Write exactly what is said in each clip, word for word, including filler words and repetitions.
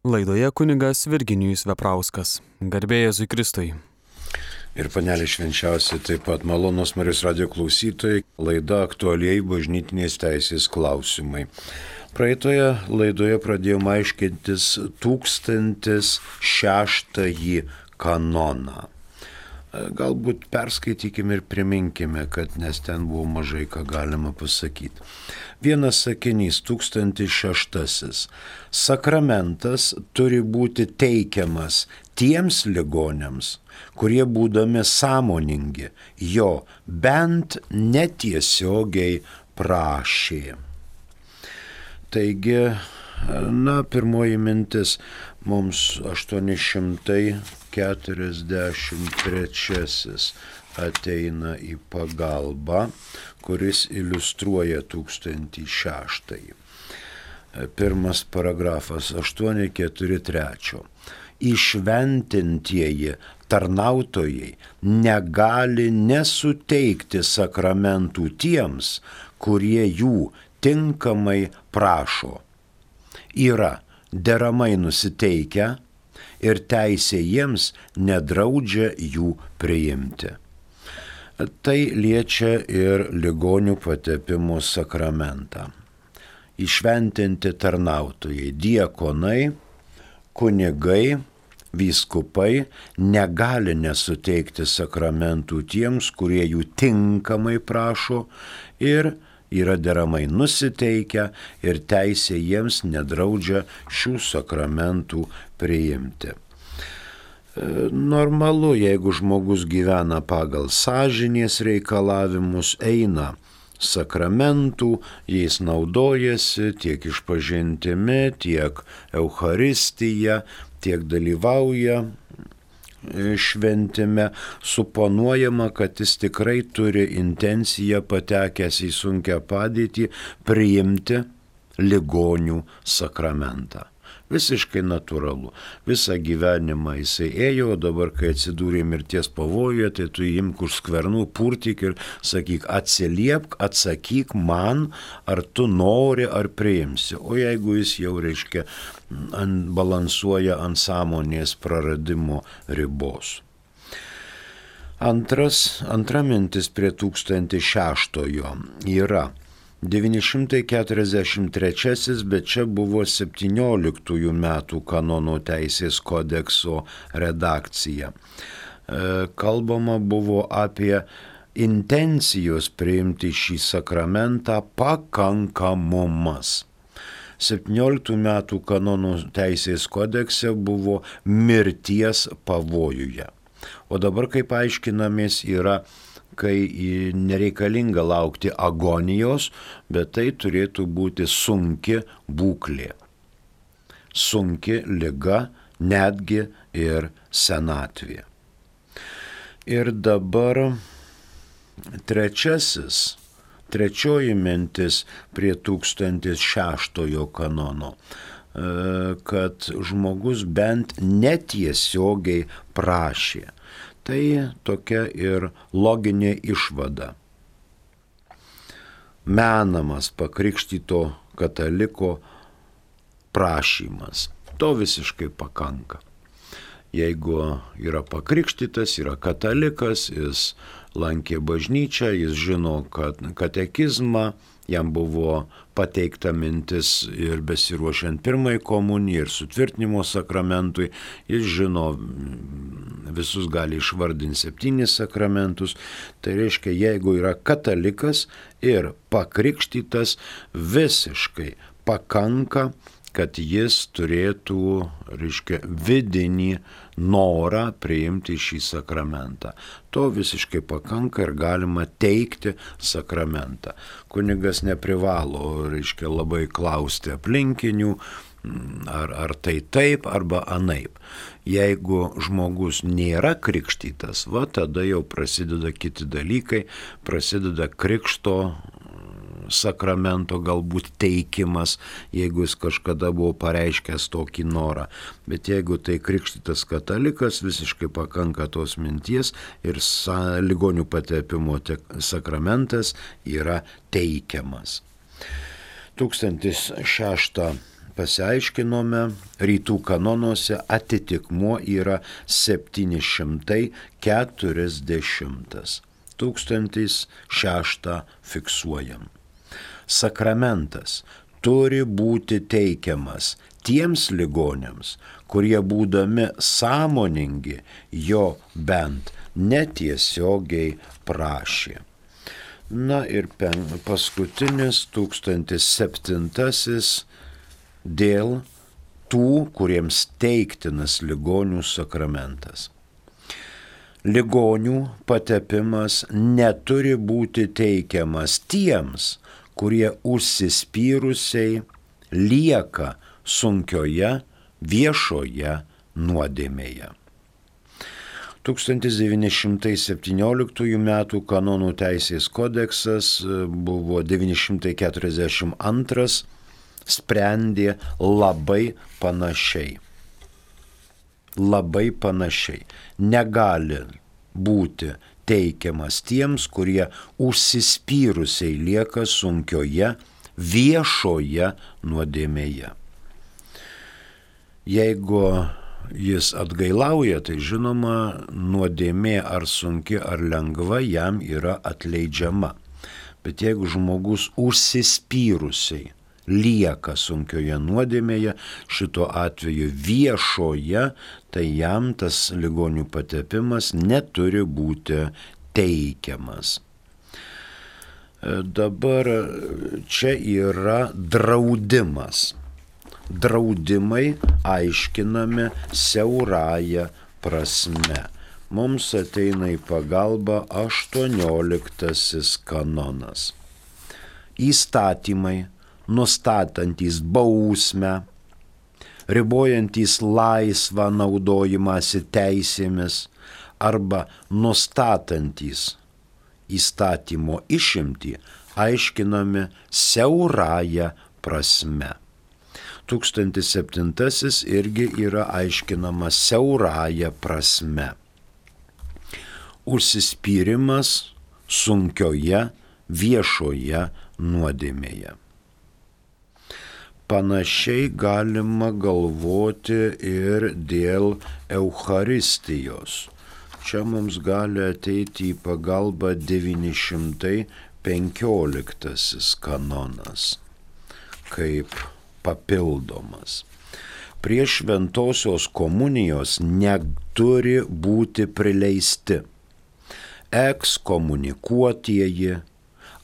Laidoje kunigas Virginijus Veprauskas. Garbė Jėzui Kristui. Ir panelė švenčiausia, taip pat malonus Marijos radijo klausytojai, laida aktualiai bažnytinės teisės klausimai. Praeitoje laidoje pradėjome aiškintis tūkstantis šeštąjį kanoną. Galbūt perskaitykime ir priminkime, kad nes ten buvo mažai ką galima pasakyti. Vienas sakinys, tūkstantis šeštasis. Sakramentas turi būti teikiamas tiems ligoniams, kurie būdami sąmoningi jo bent netiesiogiai prašė. Taigi, na, pirmoji mintis mums aštuoni šimtai keturiasdešimt trečiasis ateina į pagalbą, kuris iliustruoja tūkstantį šeštąjį. Pirmas paragrafas aštuoni keturi trečio. Įšventintieji tarnautojai negali nesuteikti sakramentų tiems, kurie jų tinkamai prašo. Yra deramai nusiteikę ir teisė jiems nedraudžia jų priimti. Tai liečia ir ligonių patepimo sakramentą. Įšventinti tarnautojai, diakonai, kunigai, vyskupai negali nesuteikti sakramentų tiems, kurie jų tinkamai prašo ir yra deramai nusiteikę ir teisė jiems nedraudžia šių sakramentų priimti. Normalu, jeigu žmogus gyvena pagal sąžinės reikalavimus, eina sakramentų, jais naudojasi tiek išpažintimi, tiek Eucharistija, tiek dalyvauja šventime, suponuojama, kad jis tikrai turi intenciją patekęs į sunkią padėtį priimti ligonių sakramentą. Visiškai natūralu. Visą gyvenimą jisai ėjo, o dabar, kai atsidūrė mirties pavojuje, tai tu imk už skvernų, purtyk ir sakyk, atsiliepk, atsakyk man, ar tu nori, ar priimsi. O jeigu jis jau, reiškia, ant, balansuoja ant sąmonės praradimo ribos. Antras, antra mintis prie tūkstantis šeštojo yra devyni šimtai keturiasdešimt trečiasis, bet čia buvo septynioliktųjų metų kanono teisės kodekso redakcija. Kalbama buvo apie intencijos priimti šį sakramentą pakankamumas. septynioliktų metų kanono teisės kodekse buvo mirties pavojuje. O dabar, kaip aiškinamės, yra kai nereikalinga laukti agonijos, bet tai turėtų būti sunki būklė. Sunki liga, netgi ir senatvė. Ir dabar trečiasis, trečioji mintis prie tūkstantis šeštojo kanono, kad žmogus bent netiesiogiai prašė. Tai tokia ir loginė išvada. Menamas pakrikštyto kataliko prašymas. To visiškai pakanka. Jeigu yra pakrikštytas, yra katalikas, jis lankė bažnyčią, jis žino, kad katekizmą, jam buvo pateikta mintis ir besiruošiant pirmai komunijai ir sutvirtinimo sakramentui, jis žino, visus gali išvardinti septynis sakramentus, tai reiškia, jeigu yra katalikas ir pakrikštytas, visiškai pakanka, kad jis turėtų, reiškia, vidinį norą priimti šį sakramentą. To visiškai pakanka ir galima teikti sakramentą. Kunigas neprivalo, reiškia, labai klausti aplinkinių, ar, ar tai taip, arba anaip. Jeigu žmogus nėra krikštytas, va tada jau prasideda kiti dalykai, prasideda krikšto sakramento galbūt teikimas, jeigu jis kažkada buvo pareiškęs tokį norą. Bet jeigu tai krikštytas katalikas, visiškai pakanka tos minties ir sa, ligonių patepimo sakramentas yra teikiamas. tūkstantis šeštą pasiaiškinome, rytų kanonuose atitikmuo yra septyni šimtai keturiasdešimt. Tūkstantis šeštą fiksuojam. Sakramentas turi būti teikiamas tiems ligoniams, kurie būdami sąmoningi jo bent netiesiogiai prašė. Na ir pen, paskutinis tūkstantis septintasis dėl tų, kuriems teiktinas ligonių sakramentas. Ligonių patepimas neturi būti teikiamas tiems, kurie užsispyrusiai lieka sunkioje viešoje nuodėmėje. tūkstantis devyni šimtai septynioliktųjų metų kanonų teisės kodeksas buvo devyni šimtai keturiasdešimt antras, sprendė labai panašiai. Labai panašiai. Negali būti teikiamas tiems, kurie užsispyrusiai lieka sunkioje viešoje nuodėmėje. Jeigu jis atgailauja, tai žinoma, nuodėmė ar sunki ar lengva jam yra atleidžiama. Bet jeigu žmogus užsispyrusiai lieka sunkioje nuodėmėje, šito atveju viešoje, tai jam tas ligonių patepimas neturi būti teikiamas. Dabar čia yra draudimas. Draudimai aiškinami siaurąja prasme. Mums ateina į pagalbą aštuonioliktasis kanonas. Įstatymai, nustatantys bausmę, ribojantys laisvą naudojimąsi teisėmis arba nustatantys įstatymo išimtį, aiškinami siaurąja prasme. Tūkstantis septintasis irgi yra aiškinamas siaurąja prasme. Užsispyrimas sunkioje viešoje nuodėmėje. Panašiai galima galvoti ir dėl Eucharistijos. Čia mums gali ateiti į pagalbą devyni šimtai penkioliktasis kanonas, kaip papildomas. Prie šventosios komunijos neturi būti prileisti ekskomunikuotieji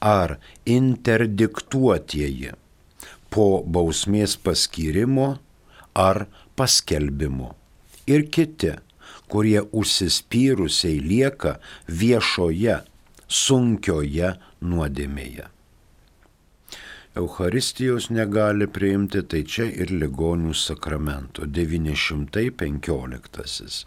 ar interdiktuotieji po bausmės paskyrimo ar paskelbimo ir kiti, kurie užsispyrusiai lieka viešoje, sunkioje nuodėmėje. Eucharistijos negali priimti, tai čia ir ligonių sakramento. devyni šimtai penkioliktasis.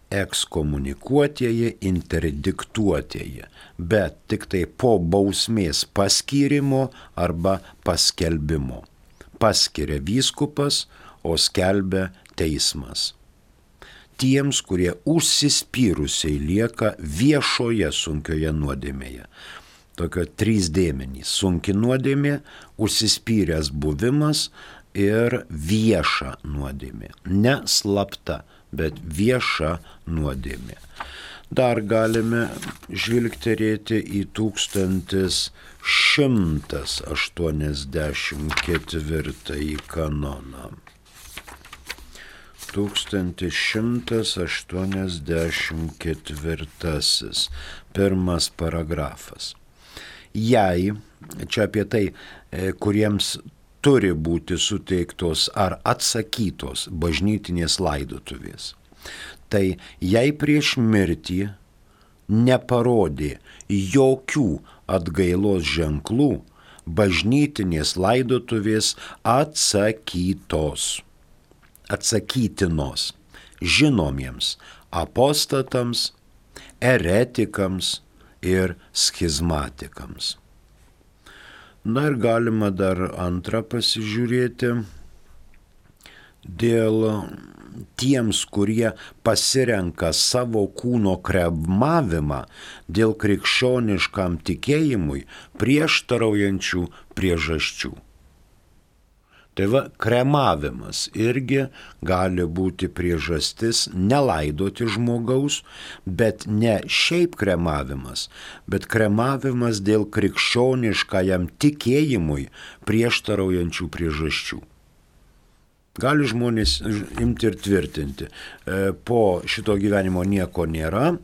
Ekskomunikuotieji, interdiktuotieji, bet tik tai po bausmės paskyrimo arba paskelbimo. Paskiria vyskupas, o skelbia teismas. Tiems, kurie užsispyrusiai lieka viešoje sunkioje nuodėmėje. Tokio trys dėmenys – sunki nuodėmė, užsispyręs buvimas ir vieša nuodėmė. Ne slapta, bet vieša nuodėmė. Dar galime žvilgterėti į tūkstantis šimtas aštuoniasdešimt ketvirtąjį kanoną. tūkstantis šimtas aštuoniasdešimt ketvirtasis, pirmas paragrafas. Jei, čia apie tai, kuriems turi būti suteiktos ar atsakytos bažnytinės laidotuvės, tai jei prieš mirtį neparodė jokių atgailos ženklų, bažnytinės laidotuvės atsakytos, atsakytinos žinomiems apostatams, eretikams ir schizmatikams. Na ir galima dar antrą pasižiūrėti dėl tiems, kurie pasirenka savo kūno kremavimą dėl krikščioniškam tikėjimui prieštaraujančių priežasčių. Tai va, kremavimas irgi gali būti priežastis nelaidoti žmogaus, bet ne šiaip kremavimas, bet kremavimas dėl krikščioniškajam tikėjimui prieštaraujančių priežasčių. Gali žmonės imti ir tvirtinti, po šito gyvenimo nieko nėra,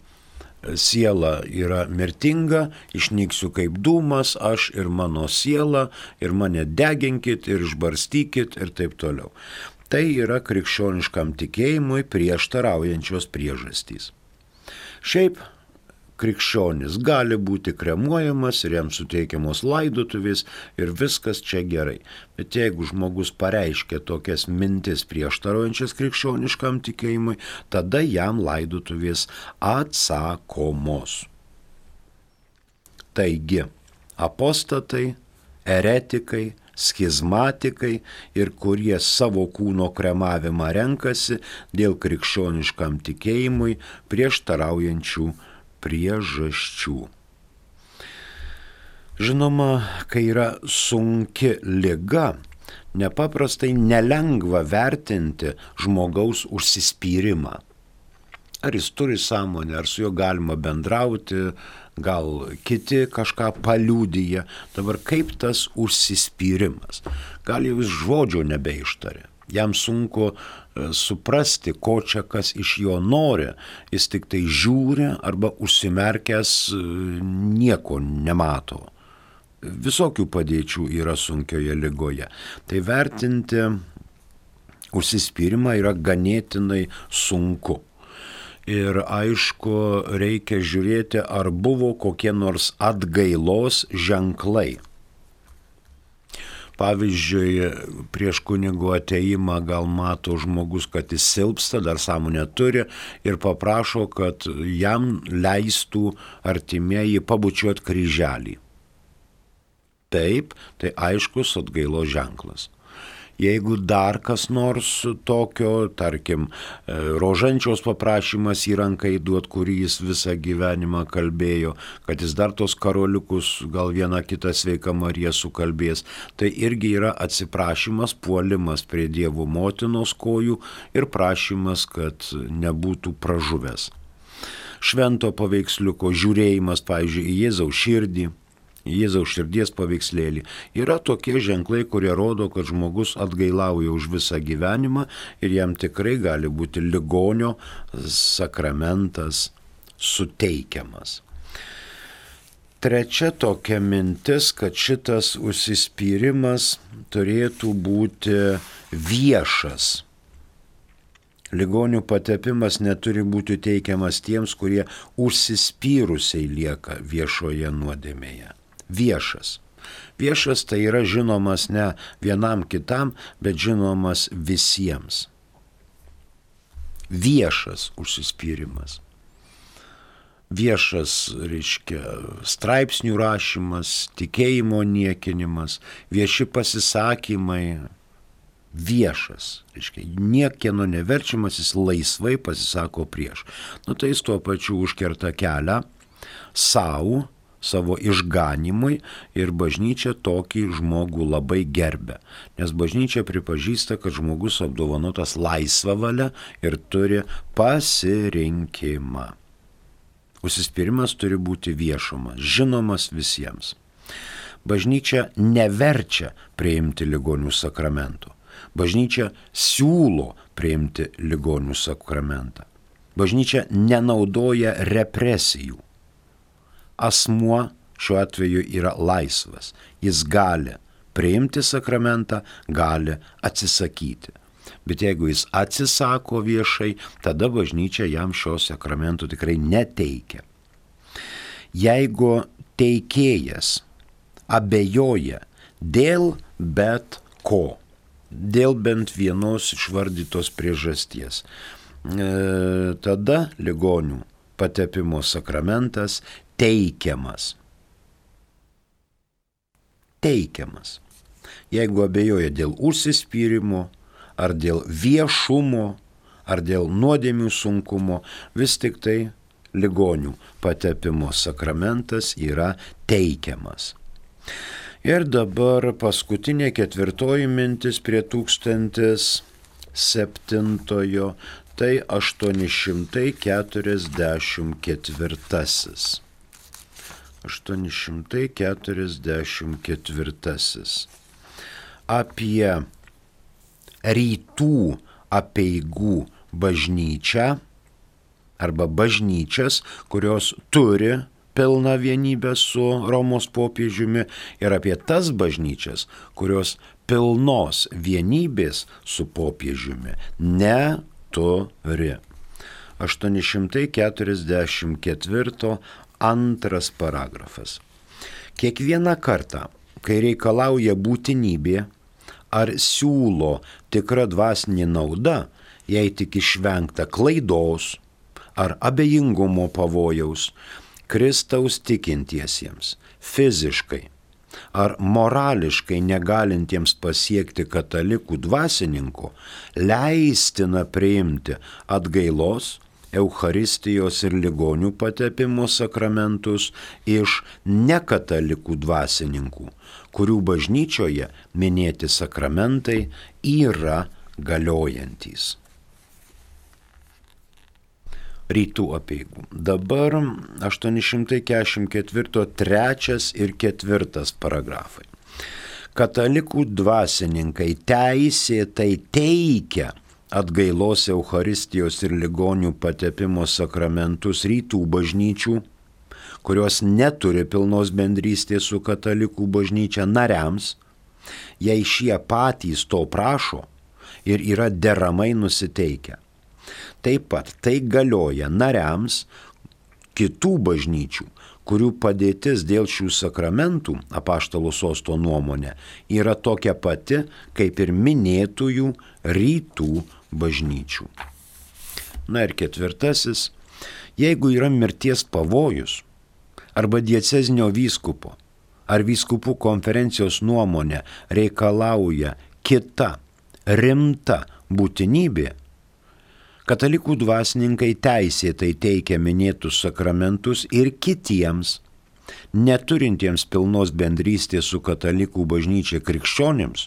siela yra mirtinga, išnyksiu kaip dūmas, aš ir mano siela, ir mane deginkit, ir išbarstykit, ir taip toliau. Tai yra krikščioniškam tikėjimui prieštaraujančios priežastys. Šiaip krikščionis gali būti kremuojamas ir jam suteikiamos laidotuvės ir viskas čia gerai. Bet jeigu žmogus pareiškia tokias mintis prieštaraujančias krikščioniškam tikėjimui, tada jam laidotuvės atsakomos. Taigi, apostatai, eretikai, schizmatikai ir kurie savo kūno kremavimą renkasi dėl krikščioniškam tikėjimui prieštaraujančių priežasčių. Žinoma, kai yra sunki liga, nepaprastai nelengva vertinti žmogaus užsispyrimą. Ar jis turi sąmonę, ar su juo galima bendrauti, gal kiti kažką paliudyja. Dabar kaip tas užsispyrimas? Gal jau jis žodžio nebeištarė. Jam sunku suprasti, ko čia kas iš jo nori. Jis tik tai žiūri arba užsimerkęs nieko nemato. Visokių padėčių yra sunkioje ligoje. Tai vertinti užsispyrimą yra ganėtinai sunku. Ir aišku, reikia žiūrėti, ar buvo kokie nors atgailos ženklai. Pavyzdžiui, prieš kunigo ateimą gal mato žmogus, kad jis silpsta, dar sąmonę turi ir paprašo, kad jam leistų artimieji pabučiuoti kryželį. Taip, tai aiškus atgailos ženklas. Jeigu dar kas nors tokio, tarkim, rožančiaus paprašymas į ranką įduot, kurį jis visą gyvenimą kalbėjo, kad jis dar tos karoliukus, gal vieną kitą sveiką Mariją sukalbės, tai irgi yra atsiprašymas, puolimas prie Dievo motinos kojų ir prašymas, kad nebūtų pražuvęs. Švento paveiksliuko žiūrėjimas, pavyzdžiui, į Jėzaus širdį, Jėzaus širdies paveikslėlį. Yra tokie ženklai, kurie rodo, kad žmogus atgailauja už visą gyvenimą ir jam tikrai gali būti ligonio sakramentas suteikiamas. Trečia tokia mintis, kad šitas užsispyrimas turėtų būti viešas. Ligonių patepimas neturi būti teikiamas tiems, kurie užsispyrusiai lieka viešoje nuodėmėje. Viešas. Viešas tai yra žinomas ne vienam kitam, bet žinomas visiems. Viešas užsispyrimas. Viešas, reiškia, straipsnių rašymas, tikėjimo niekinimas, vieši pasisakymai. Viešas, reiškia, niekieno neverčiamas, jis laisvai pasisako prieš. Nu tai jis tuo pačiu užkerta kelią savo, savo išganimui ir bažnyčia tokį žmogų labai gerbia. Nes bažnyčia pripažįsta, kad žmogus apdovanotas laisvą valią ir turi pasirinkimą. Užsispyrimas turi būti viešumas, žinomas visiems. Bažnyčia neverčia priimti ligonių sakramentų. Bažnyčia siūlo priimti ligonių sakramentą. Bažnyčia nenaudoja represijų. Asmuo šiuo atveju yra laisvas. Jis gali priimti sakramentą, gali atsisakyti. Bet jeigu jis atsisako viešai, tada bažnyčia jam šio sakramento tikrai neteikia. Jeigu teikėjas abejoja dėl bet ko, dėl bent vienos išvardytos priežasties, e, tada ligonių patepimo sakramentas teikiamas. Teikiamas. Jeigu abejoja dėl užsispyrimo, ar dėl viešumo, ar dėl nuodėmių sunkumo, vis tik tai ligonių patepimo sakramentas yra teikiamas. Ir dabar paskutinė ketvirtoji mintis prie tūkstantis septintojo, tai aštuoni šimtai keturiasdešimt ketvirtasis. aštuoni šimtai keturiasdešimt ketvirtasis. Apie rytų apeigų bažnyčią arba bažnyčias, kurios turi pilną vienybę su Romos popiežiumi, ir apie tas bažnyčias, kurios pilnos vienybės su popiežiumi neturi. aštuoni šimtai keturiasdešimt ketvirto antras paragrafas. Kiekvieną kartą, kai reikalauja būtinybė ar siūlo tikra dvasinė nauda, jei tik išvengta klaidos ar abejingumo pavojaus, Kristaus tikintiesiems, fiziškai ar morališkai negalintiems pasiekti katalikų dvasininko, leistina priimti atgailos, Eucharistijos ir ligonių patepimo sakramentus iš nekatalikų dvasininkų, kurių bažnyčioje minėti sakramentai yra galiojantys. Rytų apeigų. Dabar aštuoni šimtai keturiasdešimt ketvirto trečias ir ketvirtas paragrafai. Katalikų dvasininkai teisėtai teikia atgailos, Eucharistijos ir ligonių patepimo sakramentus rytų bažnyčių, kurios neturi pilnos bendrystės su katalikų bažnyčia nariams, jei šie patys to prašo ir yra deramai nusiteikę. Taip pat tai galioja nariams kitų bažnyčių, kurių padėtis dėl šių sakramentų, apaštalų sosto nuomonė, yra tokia pati, kaip ir minėtųjų rytų bažnyčių. Na ir ketvirtasis, jeigu yra mirties pavojus, arba diecezinio vyskupo, ar vyskupų konferencijos nuomonė reikalauja kita rimta būtinybė, katalikų dvasininkai teisėtai teikia minėtus sakramentus ir kitiems, neturintiems pilnos bendrystės su katalikų bažnyčia krikščionims,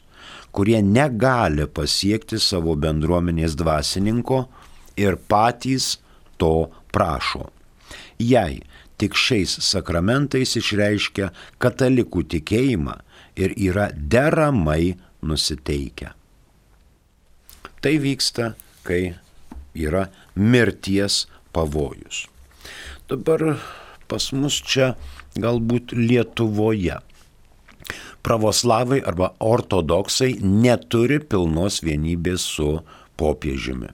kurie negali pasiekti savo bendruomenės dvasininko ir patys to prašo. Jei tik šiais sakramentais išreiškia katalikų tikėjimą ir yra deramai nusiteikę. Tai vyksta, kai yra mirties pavojus. Dabar pas mus čia galbūt Lietuvoje pravoslavai arba ortodoksai neturi pilnos vienybės su popiežiumi.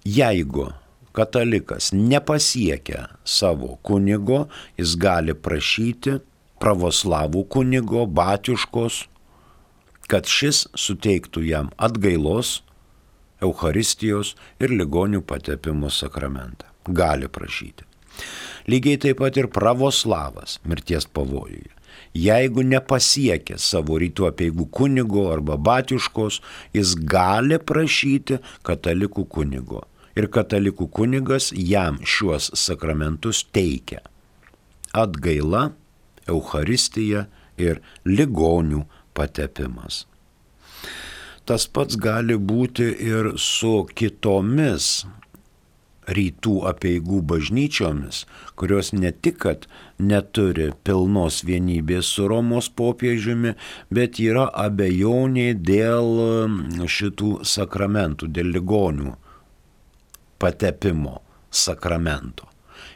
Jeigu katalikas nepasiekia savo kunigo, jis gali prašyti pravoslavų kunigo, batiuškos, kad šis suteiktų jam atgailos, Eucharistijos ir ligonių patepimo sakramentą. Gali prašyti. Lygiai taip pat ir pravoslavas mirties pavojuje. Jeigu nepasiekia savo rytų apeigų kunigo arba batiuškos, jis gali prašyti katalikų kunigo. Ir katalikų kunigas jam šiuos sakramentus teikia. Atgaila, Eucharistija ir ligonių patepimas. Tas pats gali būti ir su kitomis rytų apeigų bažnyčiomis, kurios ne tik, kad neturi pilnos vienybės su Romos popiežiumi, bet yra abejonė dėl šitų sakramentų, dėl ligonių patepimo sakramento.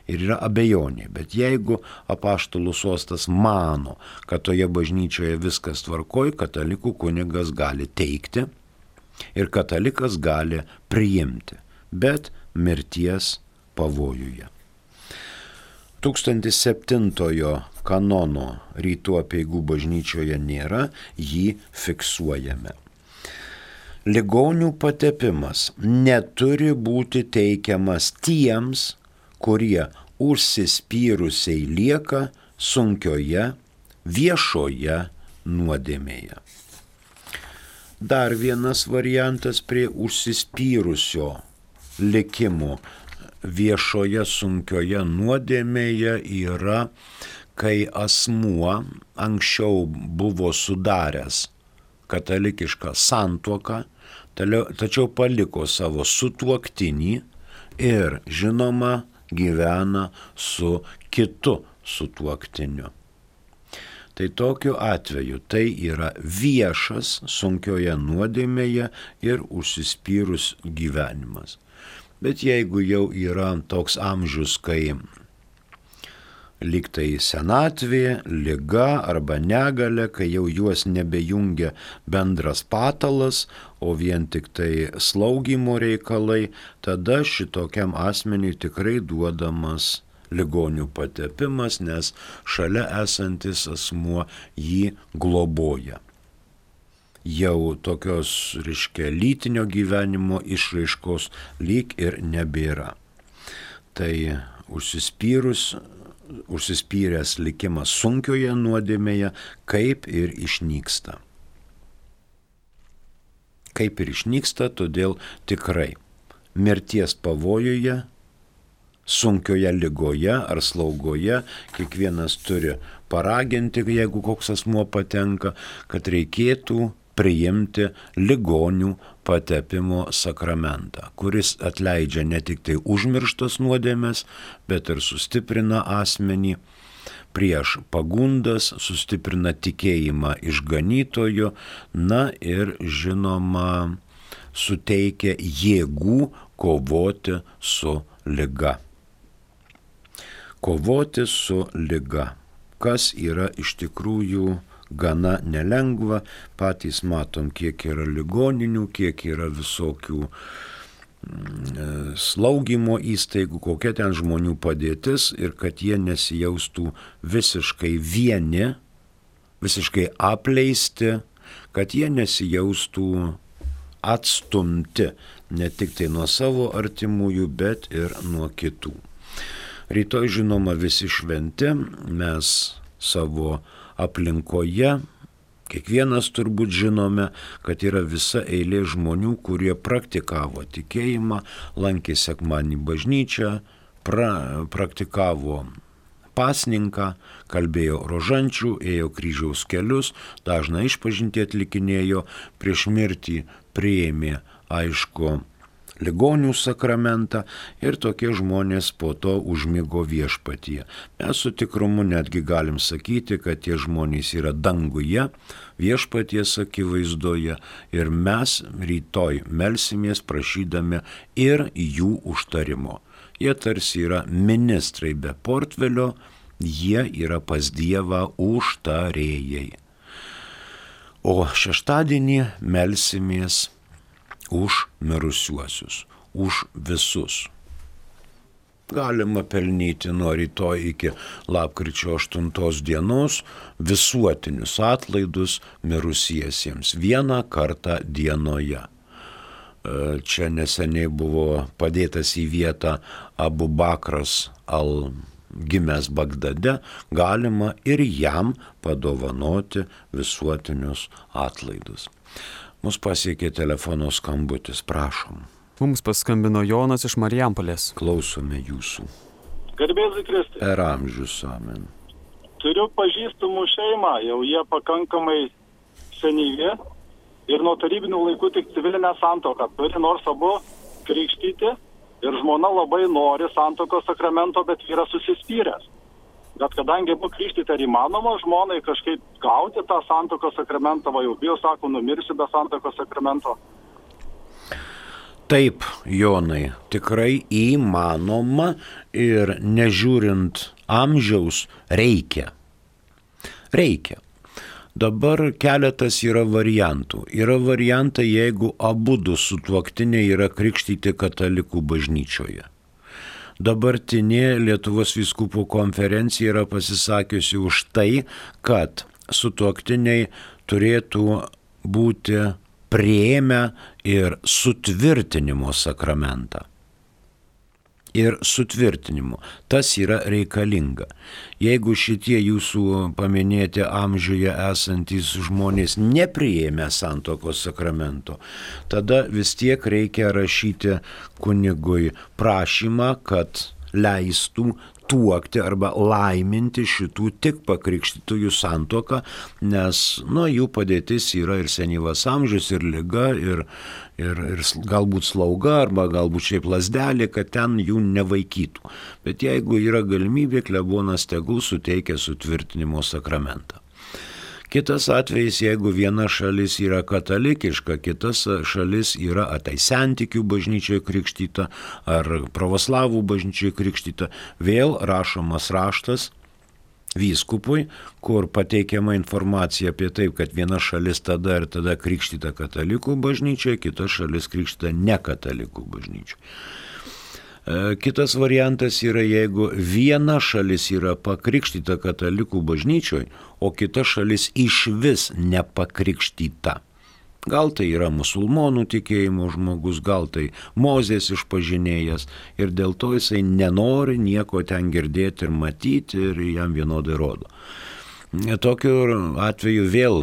Ir yra abejonė, bet jeigu apaštalų sostas mano, kad toje bažnyčioje viskas tvarkoj, katalikų kunigas gali teikti ir katalikas gali priimti, bet mirties pavojuje. tūkstantis septintojo kanono rytų apeigų bažnyčioje nėra, jį fiksuojame. Ligonių patepimas neturi būti teikiamas tiems, kurie užsispyrusiai lieka sunkioje viešoje nuodėmėje. Dar vienas variantas prie užsispyrusio likimo viešoje sunkioje nuodėmėje yra, kai asmuo anksčiau buvo sudaręs katalikišką santuoką, tačiau paliko savo sutuoktinį ir, žinoma, gyvena su kitu sutuoktiniu. Tai tokiu atveju tai yra viešas sunkioje nuodėmėje ir užsispyrus gyvenimas. Bet jeigu jau yra toks amžius, kai lyg tai senatvė, liga arba negalia, kai jau juos nebejungia bendras patalas, o vien tik tai slaugymo reikalai, tada šitokiam asmeniui tikrai duodamas ligonių patepimas, nes šalia esantis asmuo jį globoja. Jau tokios, reiškia, lytinio gyvenimo išraiškos lyg ir nebėra. Tai užsispyrus, užsispyręs likimas sunkioje nuodėmėje kaip ir išnyksta. Kaip ir išnyksta, todėl tikrai mirties pavojuje, sunkioje ligoje ar slaugoje kiekvienas turi paraginti, jeigu koks asmuo patenka, kad reikėtų priimti ligonių patepimo sakramentą, kuris atleidžia ne tik tai užmirštas nuodėmes, bet ir sustiprina asmenį prieš pagundas, sustiprina tikėjimą išganytojo, na ir žinoma suteikia jėgų kovoti su liga. Kovoti su liga, kas yra iš tikrųjų gana nelengva, patys matom, kiek yra ligoninių, kiek yra visokių mm, slaugymo įstaigų, kokia ten žmonių padėtis ir kad jie nesijaustų visiškai vieni, visiškai apleisti, kad jie nesijaustų atstumti ne tik tai nuo savo artimųjų, bet ir nuo kitų. Rytoj, žinoma, visi šventi, mes savo aplinkoje, kiekvienas turbūt žinome, kad yra visa eilė žmonių, kurie praktikavo tikėjimą, lankė sekmadienį bažnyčią, pra, praktikavo pasninką, kalbėjo rožančių, ėjo kryžiaus kelius, dažną išpažintį atlikinėjo, prieš mirtį priėmė, aišku, ligonių sakramentą ir tokie žmonės po to užmigo viešpatyje. Mes su tikrumu netgi galim sakyti, kad tie žmonės yra danguje, viešpaties akivaizdoje ir mes rytoj melsimės prašydami ir jų užtarimo. Jie tarsi yra ministrai be portfelio, jie yra pas Dievą užtarėjai. O šeštadienį melsimės už mirusiuosius, už visus. Galima pelnyti nuo rytoj iki lapkričio aštuntos dienos visuotinius atlaidus mirusiesiems vieną kartą dienoje. Čia neseniai buvo padėtas į vietą Abu Bakras al gimęs Bagdade, galima ir jam padovanoti visuotinius atlaidus. Mus pasiekė telefono skambutis, prašom. Mums paskambino Jonas iš Marijampolės. Klausome jūsų. Garbėzui Kristui. Per amžius, amen. Turiu pažįstamų šeimą, jau jie pakankamai senyvi ir nuo tarybinių laikų tik civilinę santuoką turi, nors abu krikštyti ir žmona labai nori santuokos sakramento, bet vyras susispyręs. Bet kadangi buvo krikštyti ar įmanoma žmonai kažkaip gauti tą santuokos sakramentą, va jau bijo, sako, numirsiu be santuokos sakramento. Taip, Jonai, tikrai įmanoma ir nežiūrint amžiaus reikia. Reikia. Dabar keletas yra variantų. Yra variantai, jeigu abudu sutuoktiniai yra krikštyti katalikų bažnyčioje. Dabartinė Lietuvos vyskupų konferencija yra pasisakiusi už tai, kad sutuoktiniai turėtų būti priėmę ir sutvirtinimo sakramentą. Ir sutvirtinimo. Tas yra reikalinga. Jeigu šitie jūsų paminėti amžiuje esantys žmonės nepriėmė santuokos sakramento, tada vis tiek reikia rašyti kunigui prašymą, kad leistų tuokti arba laiminti šitų tik pakrikštytųjų santuoką, nes nu, jų padėtis yra ir senyvas amžius, ir liga, ir, ir, ir galbūt slauga, arba galbūt šiaip lasdelė, kad ten jų nevaikytų. Bet jeigu yra galimybė, klebonas tegul suteikia sutvirtinimo sakramentą. Kitas atvejis, jeigu viena šalis yra katalikiška, kitas šalis yra tai sentikių bažnyčioje krikštyta ar pravoslavų bažnyčioje krikštyta, vėl rašomas raštas vyskupui, kur pateikiama informacija apie taip, kad viena šalis tada ir tada krikštyta katalikų bažnyčioje, kita šalis krikštyta ne katalikų bažnyčioje. Kitas variantas yra, jeigu viena šalis yra pakrikštyta katalikų bažnyčioje, o kita šalis iš vis nepakrikštyta. Gal tai yra musulmonų tikėjimo žmogus, gal tai Mozės išpažinėjas ir dėl to jisai nenori nieko ten girdėti ir matyti ir jam vienodai rodo. Tokiu atveju vėl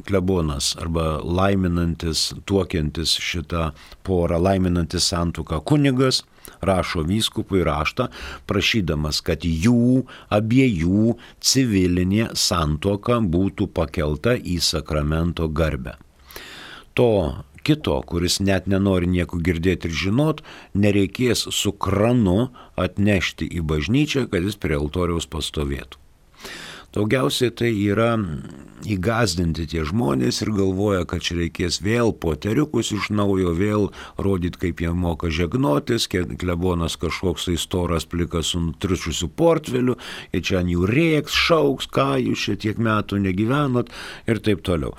klebonas arba laiminantis, tuokiantis šitą porą, laiminantis santuoką kunigas, rašo vyskupui raštą, prašydamas, kad jų abiejų civilinė santuoka būtų pakelta į sakramento garbę. To kito, kuris net nenori nieko girdėti ir žinot, nereikės su kranu atnešti į bažnyčią, kad jis prie altoriaus pastovėtų. Daugiausiai tai yra įgazdinti tie žmonės ir galvoja, kad čia reikės vėl poteriukus iš naujo, vėl rodyti, kaip jie moka žegnotis, klebonas kažkoks tai storas plikas su nutriušiusiu portfeliu, ir čia ant jų rėks, šauks, ką jūs čia tiek metų negyvenot ir taip toliau.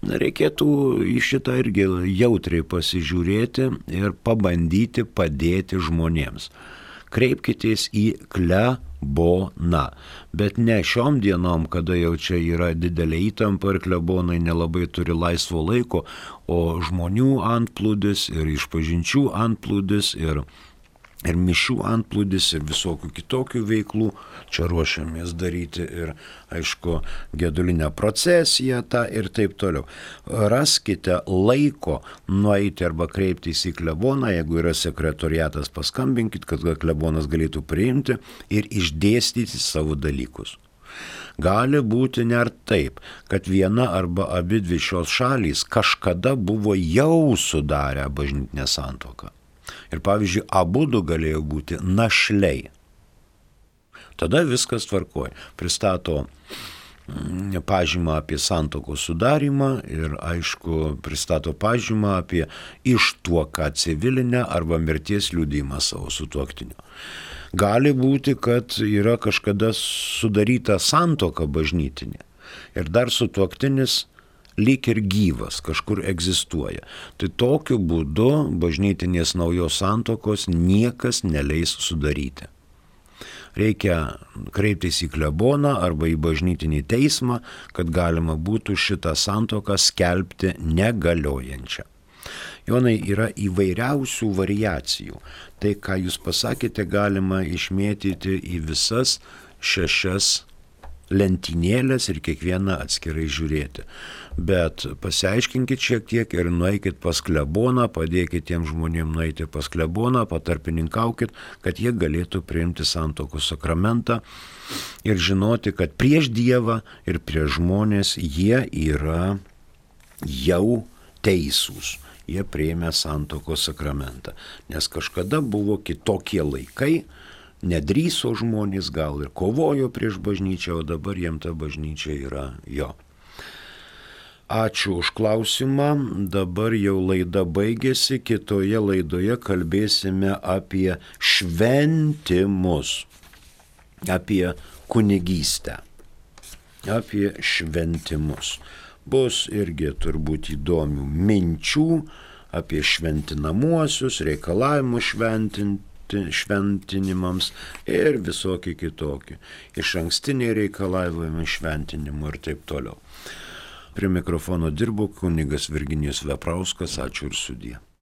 Reikėtų į šitą irgi jautriai pasižiūrėti ir pabandyti padėti žmonėms. Kreipkitės į kleboną, bet ne šiom dienom, kada jau čia yra didelė įtampa ir klebonai nelabai turi laisvo laiko, o žmonių antplūdis ir išpažinčių antplūdis ir, ir mišių antplūdis ir visokių kitokių veiklų. Čia ruošiamės daryti ir, aišku, gedulinę procesiją tą ir taip toliau. Raskite laiko nueiti arba kreiptis į kleboną, jeigu yra sekretoriatas, paskambinkit, kad klebonas galėtų priimti ir išdėstyti savo dalykus. Gali būti net taip, kad viena arba abi dvi šios šalys kažkada buvo jau sudarę bažnytinę santuoką. Ir pavyzdžiui, abudu galėjo būti našliai. Tada viskas tvarkoja. Pristato pažymą apie santuokos sudarimą ir, aišku, pristato pažymą apie ištuoką civilinę arba mirties liudijimą savo sutuoktinio. Gali būti, kad yra kažkada sudaryta santuoka bažnytinė ir dar sutuoktinis lyg ir gyvas, kažkur egzistuoja. Tai tokiu būdu bažnytinės naujos santuokos niekas neleis sudaryti. Reikia kreiptis į kleboną arba į bažnytinį teismą, kad galima būtų šitą santuoką skelbti negaliojančią. Jonai, yra įvairiausių variacijų. Tai, ką jūs pasakėte, galima išmėtyti į visas šešias lentynėlės ir kiekvieną atskirai žiūrėti. Bet pasiaiškinkit šiek tiek ir nueikit pas kleboną, padėkit tiem žmonėm nueiti pas kleboną, patarpininkaukit, kad jie galėtų priimti santuokos sakramentą ir žinoti, kad prieš Dievą ir prieš žmonės jie yra jau teisūs. Jie priėmė santuokos sakramentą. Nes kažkada buvo kitokie laikai, nedrįso žmonės, gal ir kovojo prieš bažnyčią, o dabar jiem ta bažnyčia yra jo. Ačiū už klausimą, dabar jau laida baigėsi, kitoje laidoje kalbėsime apie šventimus, apie kunigystę, apie šventimus. Bus irgi turbūt įdomių minčių apie šventinamuosius, reikalavimus šventinti, šventinimams ir visokie kitokie. Iš ankstiniai reikalavimai šventinimų ir taip toliau. Prie mikrofono dirbo kunigas Virginijus Veprauskas. Ačiū ir sudie.